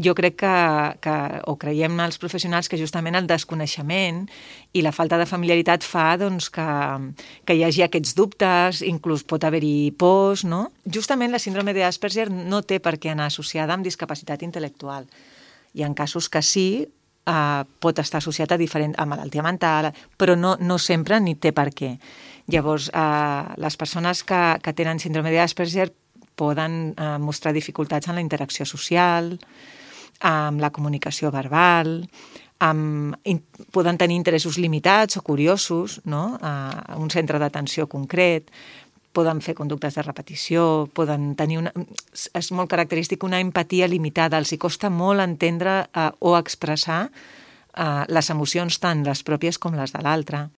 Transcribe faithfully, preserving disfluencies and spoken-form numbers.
jo crec que, que, o creiem els professionals que justament el desconeixement i la falta de familiaritat fa doncs, que, que hi hagi aquests dubtes, inclús pot haver-hi pors, no? Justament la síndrome d'Asperger no té per què anar associada amb discapacitat intel·lectual. Hi ha casos que sí, eh, pot estar associat a, diferent, a malaltia mental, però no, no sempre ni té per què. Llavors, eh, les persones que, que tenen síndrome d'Asperger poden eh, mostrar dificultats en la interacció social, amb la comunicació verbal, amb, in, poden tenir interessos limitats o curiosos, no? A un centre d'atenció concret, poden fer conductes de repetició, poden tenir una... És molt característic una empatia limitada, els hi costa molt entendre eh, o expressar eh, les emocions tant les pròpies com les de l'altre.